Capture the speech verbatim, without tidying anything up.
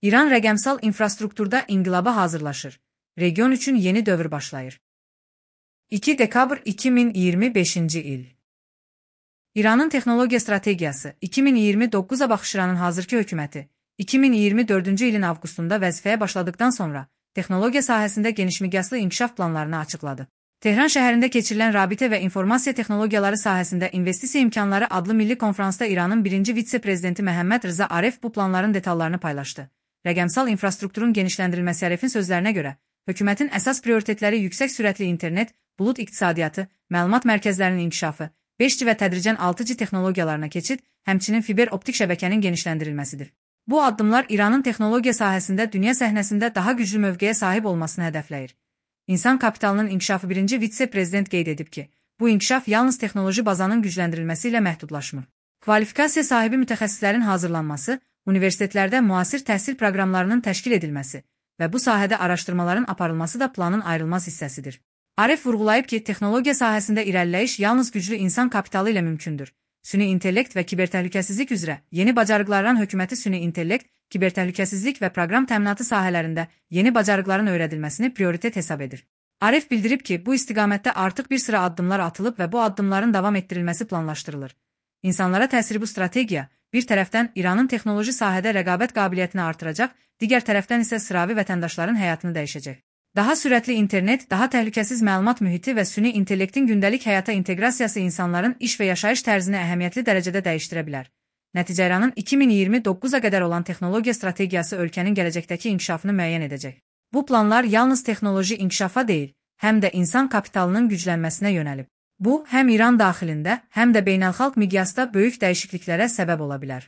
İran rəqəmsal infrastrukturda inqilaba hazırlaşır. Region üçün yeni dövr başlayır. iki dekabr iki min iyirmi beşinci il. İranın texnologiya strategiyası iki min iyirmi doqquza baxış İranın hazırki hökuməti iki min iyirmi dördüncü ilin avqustunda vəzifəyə başladıktan sonra texnologiya sahəsində genişmiqyaslı inkişaf planlarını açıqladı. Tehran şəhərində keçirilən rabitə və informasiya texnologiyaları sahəsində investisiya imkanları adlı milli konferansda İranın birinci vitse-prezidenti Məhəmməd Rza Aref bu planların detallarını paylaşdı. Rəqəmsal infrastrukturun genişləndirilməsi Arefin sözlərinə görə, hökumətin əsas prioritetləri yüksək sürətli internet, bulut iqtisadiyyatı, məlumat mərkəzlərinin inkişafı, beş G və tədricən altı G texnologiyalarına keçid, həmçinin fiber optik şəbəkənin genişləndirilməsidir. Bu addımlar İranın texnologiya sahəsində dünya səhnəsində daha güclü mövqeyə sahib olmasını hədəfləyir. İnsan kapitalının inkişafı birinci vitse-prezident qeyd edib ki, bu inkişaf yalnız texnoloji bazanın gücləndirilməsi ilə məhdudlaşmır. Kvalifikasiya sahibi mütəxəssislərin hazırlanması, universitetlərdə müasir təhsil proqramlarının təşkil edilməsi və bu sahədə araşdırmaların aparılması da planın ayrılmaz hissəsidir. Aref vurğulayıb ki, texnologiya sahəsində irəliləyiş yalnız güclü insan kapitalı ilə mümkündür. Süni intellekt və kibertəhlükəsizlik üzrə yeni bacarıqlardan hökuməti süni intellekt, kibertəhlükəsizlik və proqram təminatı sahələrində yeni bacarıqların öyrədilməsini prioritet hesab edir. Aref bildirib ki, bu istiqamətdə artıq bir sıra addımlar atılıb və bu addımların davam etdirilməsi planlaşdırılır. İnsanlara təsiri bu strategiya, bir tərəfdən İranın texnoloji sahədə rəqabət qabiliyyətini artıracaq, digər tərəfdən isə sıravi vətəndaşların həyatını dəyişəcək. Daha sürətli internet, daha təhlükəsiz məlumat mühiti və süni intellektin gündəlik həyata inteqrasiyası insanların iş və yaşayış tərzini əhəmiyyətli dərəcədə dəyişdirə bilər. Nəticə İranın iki min iyirmi doqquza qədər olan texnologiya strategiyası ölkənin gələcəkdəki inkişafını müəyyən edəcək. Bu planlar yalnız texnoloji inkişafa deyil, həm də insan kapitalının güclənməsinə yönəlib. Bu, həm İran daxilində, həm də beynəlxalq miqyasda böyük dəyişikliklərə səbəb ola bilər.